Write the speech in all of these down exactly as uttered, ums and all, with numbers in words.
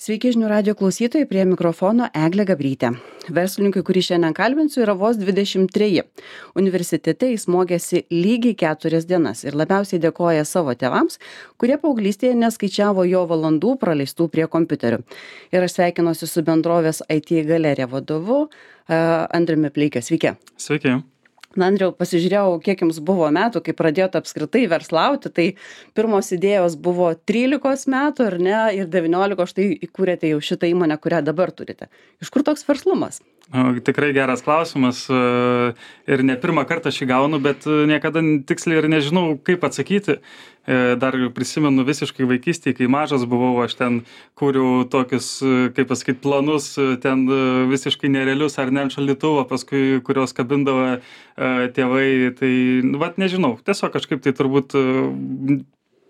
Sveiki žinių radio klausytojai, prie mikrofono Eglė Gabrytė. Verslininkui, kurį šiandien kalbinsiu, yra vos dvidešimt treji. Universitete jis mokėsi lygiai keturias dienas ir labiausiai dėkoja savo tėvams, kurie paauglystėje neskaičiavo jo valandų praleistų prie kompiuterių. Ir aš sveikinuosi su bendrovės I T galerija vadovu Andriumi Pleike. Sveiki. Sveiki. Na, Andriau, pasižiūrėjau, kiek jums buvo metų, kai pradėjote apskritai verslauti, tai pirmos idėjos buvo trylikos metų, ar ne, ir devyniolikos štai įkūrėte jau šitą įmonę, kurią dabar turite. Iš kur toks verslumas? Tikrai geras klausimas ir ne pirmą kartą šį gaunu, bet niekada tiksliai ir nežinau, kaip atsakyti. Dar prisimenu visiškai vaikystėje, kai mažas buvau, aš ten kūriau tokius, kaip pasakyti, planus, ten visiškai nerealius ar ne ant šaldytuvo, paskui kurios kabindavo tėvai, tai, nu, vat nežinau, tiesiog kažkaip tai turbūt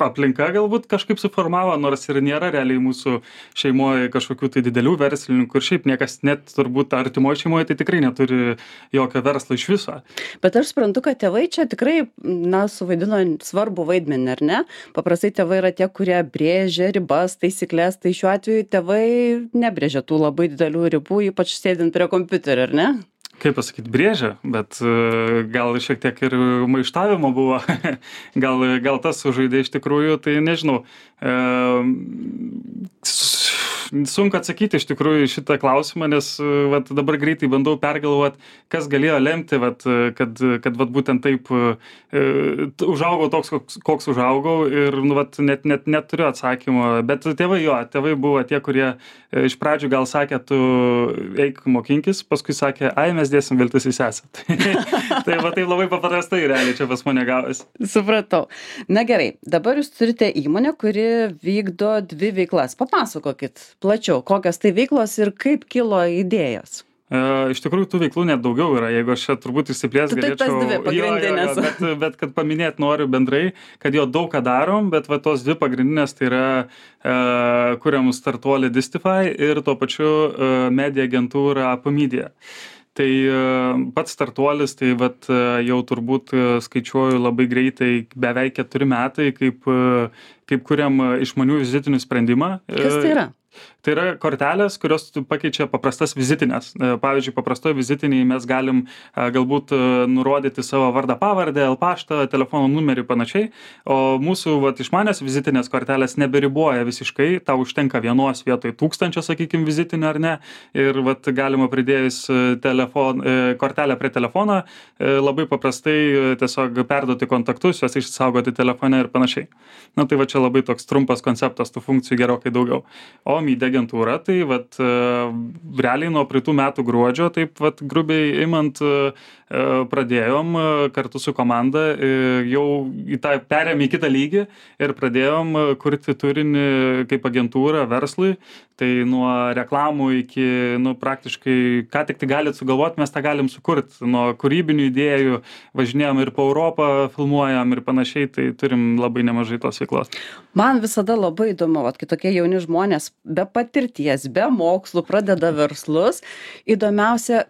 aplinka galbūt kažkaip suformavo, nors ir nėra realiai mūsų šeimoje kažkokių tai didelių verslininkų ir šiaip niekas net turbūt artimoje šeimoje tai tikrai neturi jokio verslo iš viso. Bet aš suprantu, kad tėvai čia tikrai, na, suvaidino svarbu vaidmenį, ar ne? Paprastai tėvai yra tie, kurie brėžia ribas, taisyklės, tai šiuo atveju tėvai nebrėžia tų labai didelių ribų, ypač sėdint prie kompiuterio, ar ne? Kaip pasakyti, brėžia, bet gal šiek tiek ir maištavimo buvo, gal, gal tas sužaidė iš tikrųjų, tai nežinau. E, sunku atsakyti iš tikrųjų šitą klausimą, nes vat, dabar greitai bandau pergalvoti, kas galėjo lemti, vat, kad, kad vat, būtent taip e, užaugau toks, koks, koks užaugau ir nu, vat, net, net neturiu atsakymo, bet tėvai jo, tėvai buvo tie, kurie iš pradžių gal sakė, tu eik mokinkis, paskui sakė, ai, mes dėsim viltis į sesę. Tai va taip labai paprastai realiai čia pas mane gavosi. Supratau. Na gerai, dabar jūs turite įmonę, kuri vykdo dvi veiklas. Papasakokit plačiau, kokios tai veiklos ir kaip kilo idėjos. E, iš tikrųjų, tų veiklų net daugiau yra, jeigu aš čia turbūt išsiplės galėčiau. Tai tas dvi pagrindinės. Jo, jo, jo, bet, bet kad paminėti noriu bendrai, kad jo daug ką darom, bet va tos dvi pagrindinės tai yra e, kuriam startuolį Distify ir tuo pačiu e, media agentūra Apomedia. Tai pats startuolis, tai vat, jau turbūt skaičiuoju labai greitai, beveik keturi metai, kaip, kaip kuriam išmanių vizitinių sprendimą. Kas tai yra? Tai yra kortelės, kurios pakeičia paprastas vizitinės. Pavyzdžiui, paprastoje vizitiniai mes galim galbūt nurodyti savo vardą pavardę, paštą, telefono numerį panašiai, o mūsų vat, išmanės vizitinės kortelės neberiboja visiškai, tau užtenka vienos vietoj tūkstančio, sakykime, vizitinių ar ne, ir vat, galima pridėjus telefon, kortelę prie telefono, labai paprastai tiesiog perduoti kontaktus, juos išsaugoti telefone ir panašiai. Na tai va čia labai toks trumpas konceptas, tų funkcijų gerokai daugiau. O media agentūra, tai vat, realiai nuo praeitų metų gruodžio, taip vat, grubiai imant, pradėjom kartu su komanda, jau į tą perėmė į kitą lygį ir pradėjom kurti turinį kaip agentūrą verslui, tai nuo reklamų iki, nu, praktiškai, ką tik tai galit sugalvoti, mes tą galim sukurti, nuo kūrybinių idėjų, važinėjom ir po Europą, filmuojam ir panašiai, tai turim labai nemažai tos veiklos. Man visada labai įdomu, vat, kai tokie jauni žmonės be patirties, be mokslų pradeda verslus, įdomiausia,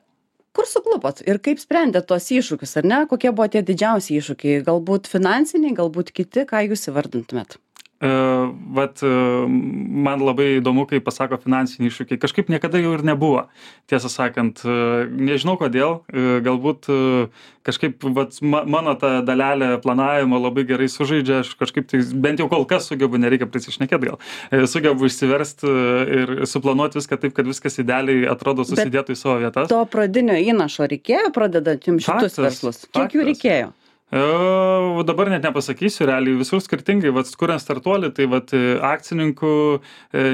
kur suklupot ir kaip sprendėt tuos iššūkius, ar ne? Kokie buvo tie didžiausi iššūkiai? Galbūt finansiniai, galbūt kiti, ką jūs įvardintumėt? Uh, vat, uh, man labai įdomu, kai pasako finansiniai iššūkiai. Kažkaip niekada jau ir nebuvo, tiesą sakant. Uh, nežinau kodėl, uh, galbūt uh, kažkaip vat, ma, mano ta dalelė planavimo labai gerai sužaidžia, aš kažkaip tai bent jau kol kas sugebu, nereikia prisišnekėti gal, uh, sugebu išsiversti uh, ir suplanuoti viską taip, kad viskas idealiai atrodo susidėtų į savo vietas. To pradinio įnašo reikėjo pradedant jums šitus faktas, verslus? Kiek faktas. Jų reikėjo? Uh, dabar net nepasakysiu, realiai visur skirtingai, vat, kuriant startuolį, tai vat, akcininkų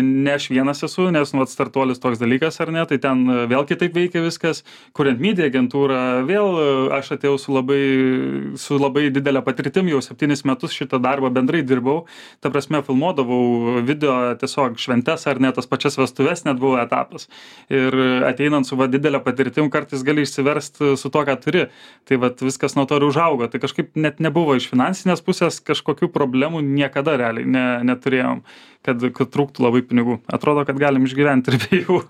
ne aš vienas esu, nes vat, startuolis toks dalykas ar ne, tai ten vėl kitaip veikia viskas, kuriant media agentūrą, vėl aš atėjau su labai, su labai didelė patirtim, jau septynis metus šitą darbą bendrai dirbau, ta prasme filmuodavau video tiesiog šventes ar ne, tas pačias vestuves net buvo etapas ir ateinant su va, didelė patirtim kartais gali išsiversti su to, ką turi, tai vat, viskas nuo to ir užaugo, tai kažkaip net nebuvo iš finansinės pusės kažkokių problemų niekada realiai ne, neturėjom. kad, kad trūktų labai pinigų. Atrodo, kad galim išgyventi ir be jų.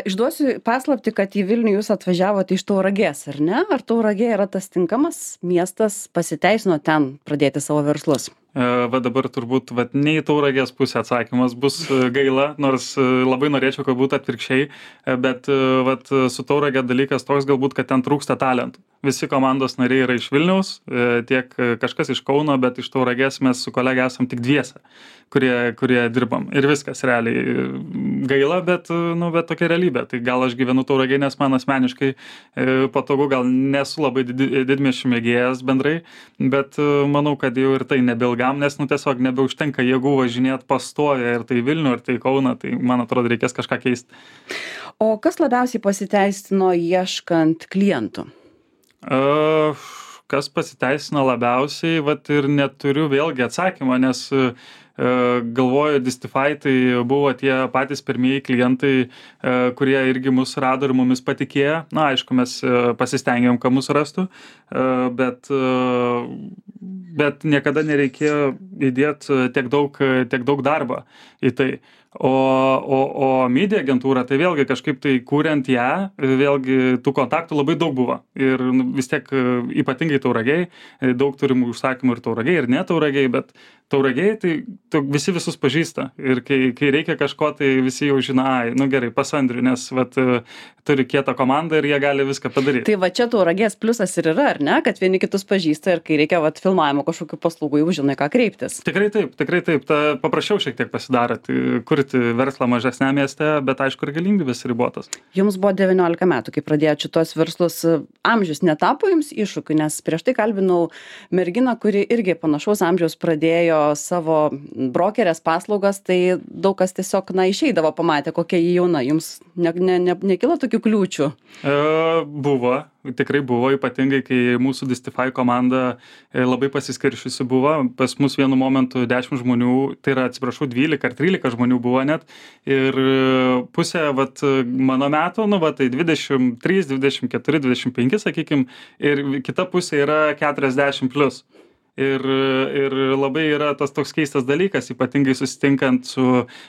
Išduosiu paslaptį, kad į Vilnių jūs atvažiavote iš Tauragės, ar ne? Ar Tauragė yra tas tinkamas miestas, pasiteisino ten pradėti savo verslus? Va dabar turbūt vat, ne į Tauragės pusę atsakymas bus gaila, nors labai norėčiau, kad būtų atvirkščiai, bet vat, su Tauragė dalykas toks galbūt, kad ten trūksta talentų. Visi komandos nariai yra iš Vilniaus, tiek kažkas iš Kauno, bet iš Tauragės mes su kolegė esam tik dviese, kurie, kurie dirbam. Ir viskas realiai gaila, bet, nu, bet tokia realybė. Tai gal aš gyvenu Tauragėj, nes man asmeniškai patogu, gal nesu labai didmiesčių mėgėjas bendrai, bet manau, kad jau ir tai nebeilgam, nes nu, tiesiog nebeužtenka jėgų važinėti pastoję ir tai Vilnių, ir tai Kauną, tai man atrodo reikės kažką keisti. O kas labiausiai pasiteisino ieškant klientų? Uh, kas pasiteisino labiausiai, vat ir neturiu vėlgi atsakymą, nes uh, galvoju, Distify tai buvo tie patys pirmieji klientai, uh, kurie irgi mus rado ir mumis patikėjo. Na, aišku, mes uh, pasistengėm, kad mus rastų, uh, bet, uh, bet niekada nereikėjo įdėti tiek daug, tiek daug darbo į tai. O, o, o media agentūra, tai vėlgi kažkaip tai kuriant ją, vėlgi tų kontaktų labai daug buvo. Ir vis tiek ypatingai Tauragėj, daug turim užsakymų ir Tauragėj, ir ne Tauragėj, bet Tauragėj tai tu, visi visus pažįsta. Ir kai, kai reikia kažko, tai visi jau žino, ai, nu gerai, pas Andrių, nes vat, turi kietą komandą ir jie gali viską padaryti. Tai va čia Tauragės pliusas ir yra, ar ne? Kad vieni kitus pažįsta ir kai reikia vat, filmavimo kažkokių paslaugų, jau žinai, ką kreiptis. Tikrai taip, tikrai taip. Ta, paprašiau šiek tiek pasidarė. Tai, kurti verslą mažesnė mieste, bet aišku ir galimybės ribotas. Jums buvo devyniolika metų, kai pradėjote šitos verslus. Amžius netapo jums iššūkiu, nes prieš tai kalbinau merginą, kuri irgi panašaus amžiaus pradėjo savo brokerės paslaugas, tai daug kas tiesiog, na, išeidavo, pamatė, kokia jį jauna. Jums ne, ne, ne, nekilo tokių kliūčių? E, buvo. Tikrai buvo, ypatingai, kai mūsų Distify komanda labai pasiskiršiusi buvo. Pas mus vienu momentu dešimt žmonių, tai yra, atsiprašau, dvylika ar trylika žmonių buvo net. Ir pusė, vat, mano metų, nu, va, tai dvidešimt trys, dvidešimt keturi, dvidešimt penki, sakykim, ir kita pusė yra keturiasdešimt plus. Ir, ir labai yra tas toks keistas dalykas, ypatingai susitinkant su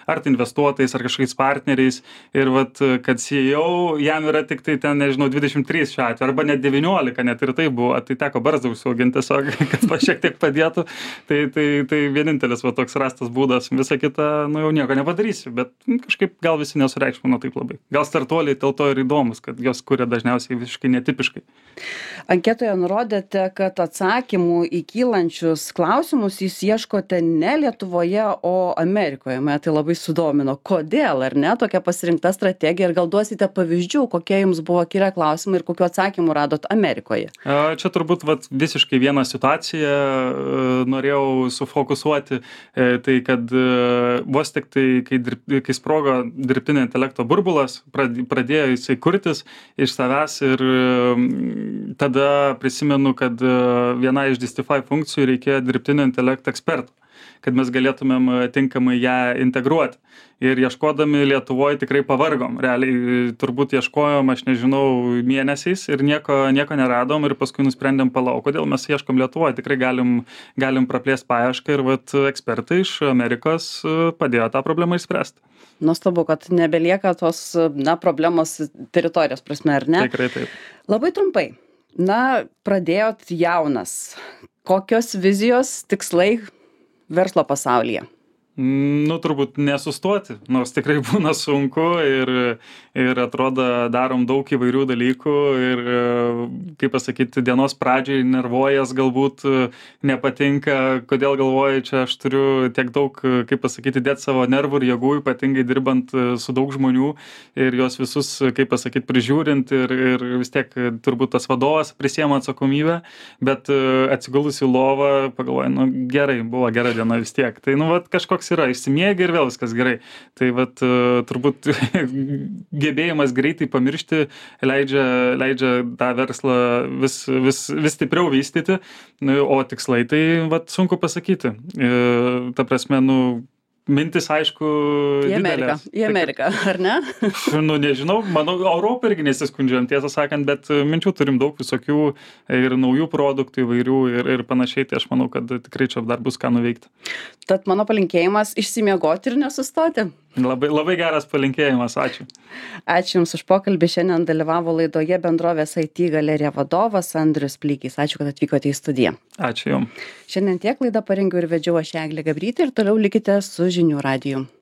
ar tai investuotojais, ar kažkokiais partneriais. Ir vat, kad C E O, jam yra tik tai ten, nežinau, dvidešimt trys šiuo atveju, arba net devyniolika, net ir tai buvo. Tai teko barzdą užsiauginti tiesiog, kad va šiek tiek padėtų. Tai, tai, tai vienintelis va, toks rastas būdas. Visa kita, nu jau nieko nepadarysiu, bet kažkaip gal visi nesureikšmino taip labai. Gal startuoliai dėl to ir įdomus, kad jos kuria dažniausiai visiškai netipiškai. Anketoje nurodėte, kad atsakymų į kylančius klausimus jūs ieškote ne Lietuvoje, o Amerikoje. Mane tai labai sudomino. Kodėl, ar ne, tokia pasirinkta strategija? Ir gal duosite pavyzdžių, kokie jums buvo kilę klausimai ir kokiu atsakymu radot Amerikoje? Čia turbūt vat, visiškai vieną situaciją norėjau sufokusuoti. Tai kad vos tik tai, kai, dirb, kai sprogo dirbtinio intelekto burbulas, pradėjo jisai kurtis iš savęs ir tada prisimenu, kad viena iš Distify funkcijų reikėjo dirbtinio intelekto ekspertų, kad mes galėtumėm tinkamai ją integruoti. Ir ieškodami Lietuvoje tikrai pavargom. Realiai turbūt ieškojom, aš nežinau, mėnesiais ir nieko, nieko neradom ir paskui nusprendėm palauk, kodėl mes ieškom Lietuvoje. Tikrai galim, galim praplėsti paiešką ir vat, ekspertai iš Amerikos padėjo tą problemą išspręsti. Nuostabu, kad nebelieka tos na, problemos teritorijos prasme, ar ne? Tikrai taip. Labai trumpai. Na, pradėjot jaunas. Kokios vizijos, tikslai verslo pasaulyje? Nu, turbūt nesustoti, nors tikrai būna sunku ir, ir atrodo darom daug įvairių dalykų ir, kaip pasakyti, dienos pradžiai nervuojas, galbūt nepatinka, kodėl galvoju, čia aš turiu tiek daug, kaip pasakyti, dėti savo nervų ir jėgų, ypatingai dirbant su daug žmonių ir juos visus, kaip pasakyti, prižiūrint ir, ir vis tiek turbūt tas vadovas prisiema atsakomybę, bet atsigulus į lovą pagalvoju, nu gerai, buvo gera diena vis tiek. Tai, nu, vat, kažkoks yra, išsimiegi ir vėl viskas gerai. Tai vat, turbūt gebėjimas greitai pamiršti leidžia, leidžia tą verslą vis, vis, vis stipriau vystyti, o tikslai tai vat, sunku pasakyti. Ta prasme, nu, mintis, aišku, Į Ameriką, didelės. į Ameriką, ar ne? Nu, nežinau, manau, Europą irgi nesiskundžiam, tiesą sakant, bet minčių turim daug visokių ir naujų produktų įvairių ir, ir panašiai, tai aš manau, kad tikrai čia dar bus ką nuveikti. Tad mano palinkėjimas išsimiegoti ir nesustoti. Labai, labai geras palinkėjimas, ačiū. Ačiū Jums už pokalbį. Šiandien dalyvavo laidoje bendrovės I T galerija vadovas Andrius Plykys. Ačiū, kad atvykote į studiją. Ačiū Jums. Šiandien tiek laidą parengiau ir vedžiau aš Eglė Gabrytė ir toliau likite su žinių radiju.